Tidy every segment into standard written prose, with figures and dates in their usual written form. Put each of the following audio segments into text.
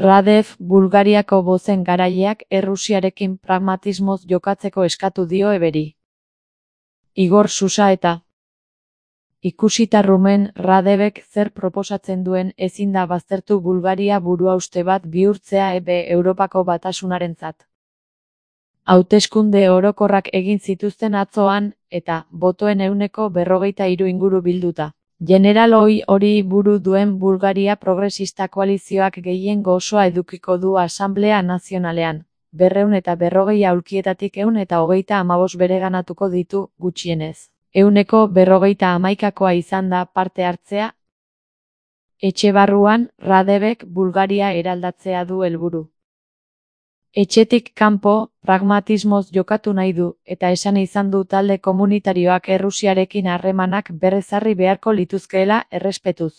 Radev Bulgariako bozen garaileak Errusiarekin pragmatismoz jokatzeko eskatu dio eberi. Igor Susa eta ikusita Rumen Radevek zer proposatzen duen ezin da baztertu Bulgaria buruhauste bat bihurtzea Europako Batasunarentzat. Hauteskunde orokorrak egin zituzten atzoan, eta botoen 43% inguru bilduta. General hori buru duen Bulgaria Progresista koalizioak gehiengo osoa edukiko du Asanblea Nazionalean. 240 aulkietatik 135 bereganatuko ditu, gutxienez. 151koa izan da parte hartzea. Etxe barruan, Radevek Bulgaria eraldatzea du helburu. Etxetik kanpo, pragmatismoz jokatu nahi du, eta esan izan du talde komunitarioak Errusiarekin harremanak berrezarri beharko lituzkeela errespetuz.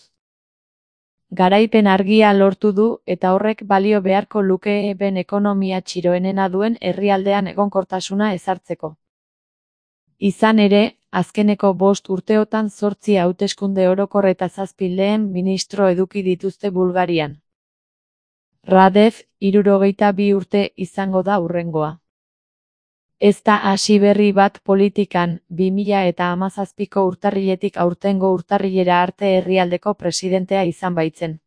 Garaipen argia lortu du, eta horrek balio beharko luke ben ekonomia txiroenena duen herrialdean egonkortasuna ezartzeko. Izan ere, azkeneko 5 urteotan 8 hauteskunde orokor eta 7 lehen ministro eduki dituzte Bulgarian. Radev, 62 urte izango da hurrengoa. Ez da hasi berri bat politikan, 2017ko urtarriletik aurtengo urtarrilera arte herrialdeko presidentea izan baitzen.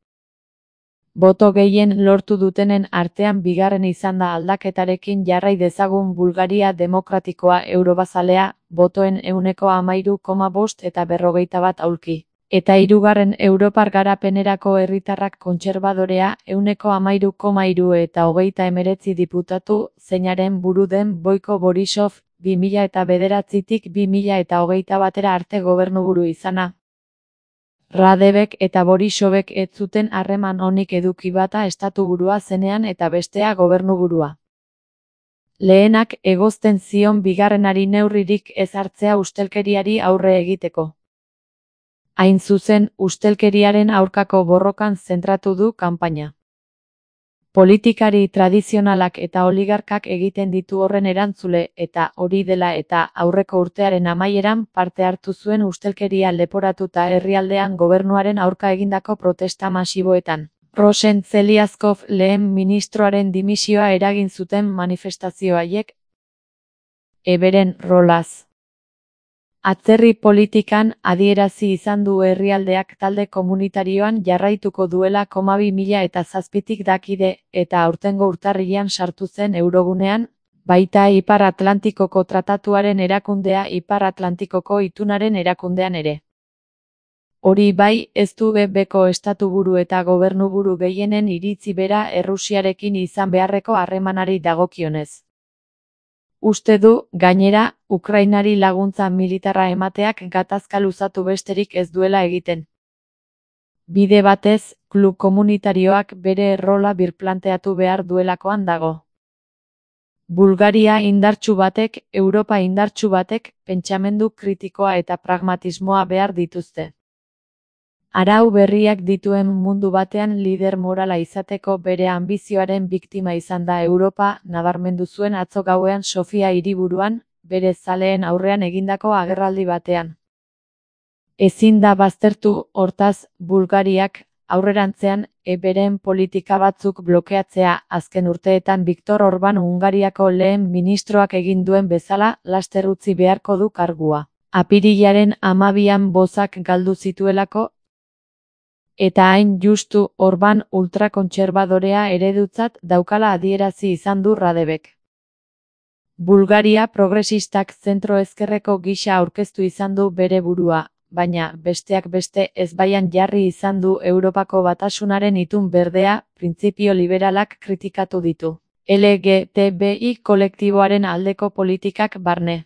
Boto gehien lortu dutenen artean bigarren izan da aldaketarekin jarrai dezagun Bulgaria demokratikoa eurobazalea, botoen 13,5 eta 41 aulki. Eta hirugarren Europar garapenerako herritarrak kontserbadorea 13,3 eta 39 diputatu, zeinaren buru den Boiko Borisov, 2009tik 2021 arte gobernuburu izana. Radevek eta Borisovek ez zuten harreman onik eduki bata estatuburua zenean eta bestea gobernuburua. Lehenak egozten zion bigarrenari neurririk ez hartzea ustelkeriari aurre egiteko. Hain zuzen, ustelkeriaren aurkako borrokan zentratu du kanpaina. Politikari tradizionalak eta oligarkak egiten ditu horren erantzule, eta hori dela eta aurreko urtearen amaieran parte hartu zuen ustelkeria leporatuta herrialdean gobernuaren aurka egindako protesta masiboetan. Rosen Zeliazkov lehen ministroaren dimisioa eragin zuten manifestazio haiek. Eberen rolaz. Atzerri politikan adierazi izan du herrialdeak talde komunitarioan jarraituko duela 2007tik dakide, eta aurtengo urtarrilean sartu zen Eurogunean, baita Ipar Atlantikoko Tratatuaren erakundea Ipar Atlantikoko Itunaren erakundean ere. Hori bai, ez du beko estatuburu eta gobernuburu gehienen iritzi bera Errusiarekin izan beharreko harremanari dagokionez. Uste du, gainera, Ukrainari laguntza militarra emateak gatazka luzatu besterik ez duela egiten. Bide batez, klub komunitarioak bere errola birplanteatu behar duelakoan dago. Bulgaria indartsu batek, Europa indartsu batek, pentsamendu kritikoa eta pragmatismoa behar dituzte. Arau berriak dituen mundu batean lider morala izateko bere anbizioaren biktima izan da Europa, nabarmendu zuen atzo gauean Sofia hiriburuan, bere zaleen aurrean egindako agerraldi batean. Ezin da baztertu, hortaz, Bulgariak, aurrerantzean, beren politika batzuk blokeatzea, azken urteetan Viktor Orban Hungariako lehen ministroak egin duen bezala, laster utzi beharko du kargua. Apirilaren 12an bozak galdu zituelako, eta hain justu Orban ultrakontserbadorea eredutzat daukala adierazi izan du Radevek. Bulgaria progresistak zentro-ezkerreko gisa aurkeztu izan du bere burua, baina besteak beste ezbaian jarri izan du Europako Batasunaren itun berdea, printzipio liberalak kritikatu ditu. LGTBI kolektiboaren aldeko politikak barne.